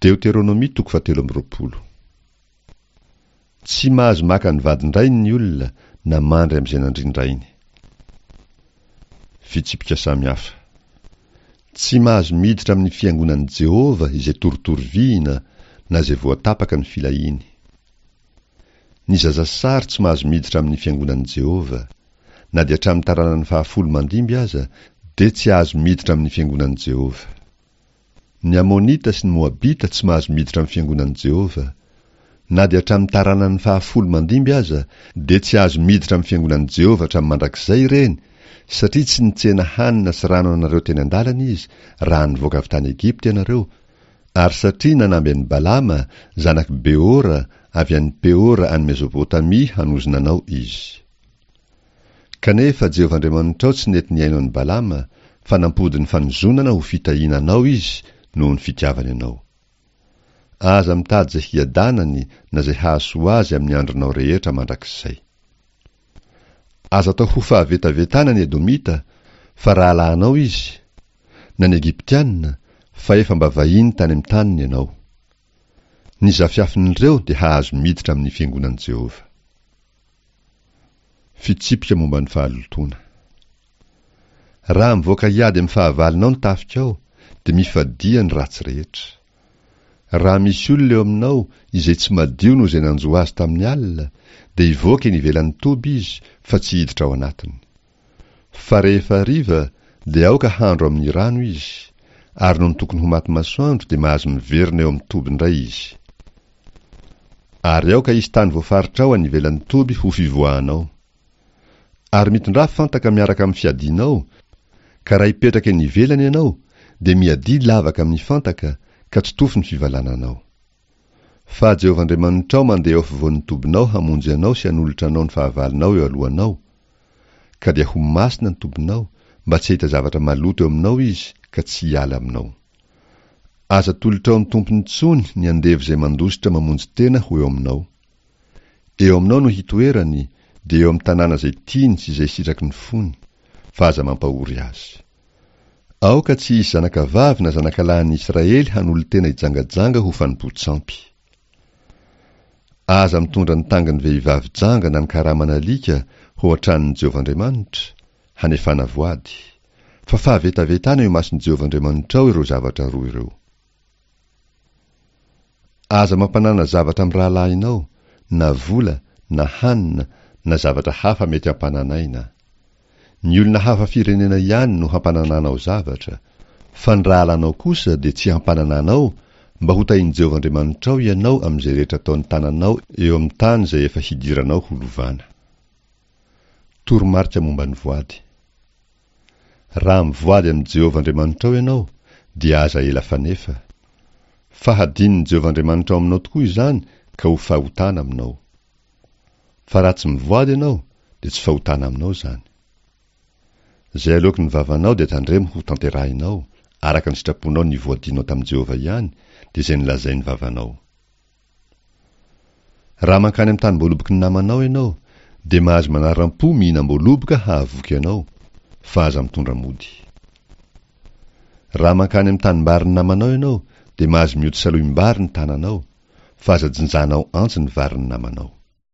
Deoteronomia toko fahatelo amby roapolo. Tsy mahazo maka ny vadin-drainy ny olona na mandry amin'izay nandrindrainy. Fitsipika samihafa. Tsy mahazo miditra amin'ny fiangonan'i Jehovah izay torotoro vihina na izay voatapaka ny filahiany. Ny zazasary tsy mahazo miditra amin'ny fiangonan'i Jehovah. Na dia hatramin'ny taranany fahafolo mandimby aza, dia tsy azo miditra amin'ny fiangonan'i Jehovah. Ny Amonita sy ny Moabita tsy mahazo miditra amin'ny fiangonan'i Jehovah. Na dia hatramin'ny taranany fahafolo mandimby aza, dia tsy azo miditra amin'ny fiangonan'i Jehovah hatramin'ny mandrakizay ireny, satria tsy nitsena hanina sy rano anareo teny an-dalana izy raha nivoaka avy tany Egypta ianareo, ary satria nanamby an'i Balama, zanak'i Beora, avy any Peora any Mesopotamia hanozona anao izy. Kanefa Jehovah Andriamanitrao tsy nety nihaino an'i Balama, fa nampody ny fanozonana ho fitahiana anao izy noho ny fitiavany anao. Aza mitady izay hiadanany na izay hahasoa azy amin'ny andronao rehetra mandrakizay. Aza atao ho fahavetavetana ny Edomita, fa rahalahinao izy, na ny Egyptiana, fa efa mba vahiny tany amin'ny taniny ianao. Ny zafiafin'ireo dia hahazo miditra amin'ny fiangonan'i Jehovah. Fitsipika momba ny fahalotoana. Raha mivoaka hiady amin'ny fahavalonao ny tafikao, dia mifadia ny ratsy rehetra. Raha misy olona eo aminao izay tsy madio noho izay nanjo azy tamin'ny alina, dia hivoaka eny ivelan'ny toby izy fa tsy hiditra ao anatiny. Fa rehefa hariva, dia aoka handro amin'ny rano izy, ary nony tokony ho maty masoandro dia mahazo miverina eo amin'ny toby indray izy. Ary aoka hisy tany voafaritrao any ivelan'ny toby ho fivoahanao. Ary mitondrà fantaka miaraka amin'ny fiadianao, ka raha hipetraka eny ivelany ianao, dia miadia lavaka amin'ny fantaka, ka totofy ny fivalananao. Fa Jehovah Andriamanitrao mandeha eo afovoan'ny tobinao hamonjy anao sy hanolotra anao ny fahavalonao eo alohanao, ka dia ho masina ny tobinao, mba tsy hahita zavatra maloto eo aminao izy ka tsy hiala aminao. Aza atolotrao ny tompony intsony ny andevo izay mandositra mamonjy tena ho eo aminao. Eo aminao no hitoerany, dia eo amin'ny tanàna izay tiany sy izay sitraky ny fony, fa aza mampahory azy. Aoka tsy hisy zanakavavy na zanakalahin'ny Israely hanolo-tena hijangajanga ho fanompoan-tsampy. Aza mitondra ny tangin'ny vehivavy janga na ny karaman'alika ho ao an-tranon'i Jehovah Andriamanitra, hanefana voady. Fa fahavetavetana eo imason'i Jehovah Andriamanitrao ireo zavatra roa ireo. Aza mampanana zavatra amin'ny rahalahinao, na vola, na hanina, na zavatra hafa mety hampananaina. Ny olona hafa firenena ihany no hampanananao zavatra, fa ny rahalanao kosa dia tsy hampanananao, mba hotahin'i Jehovah Andriamanitrao ianao amin'izay rehetra ataon'ny tananao eo amin'ny tany izay efa hidiranao ho lovana. Toromarika momba ny voady. Raha mivoady amin'i Jehovah Andriamanitrao ianao, dia aza ela fanefa. Fa hadinon'i Jehovah Andriamanitrao aminao tokoa izany ka ho fahotana aminao. Fa raha tsy mivoady ianao, dia tsy fahotana aminao izany. Izay aloaky ny vavanao dia tandremo ho tanterahinao, araka ny sitraponao nivoadianao tamin'i Jehovah ihany, dia izay nolazain'ny vavanao. Raha mankany amin'ny tanim-boaloboky ny namanao ianao, dia mahazo manaram-po mihinam-boaloboka hahavoky anao, fa aza mitondra mody. Raha mankany amin'ny tanimbarin'ny namanao ianao, dia mahazo mioty salohim-bary ny tananao, fa aza jinjanao antsy ny varin'ny namanao.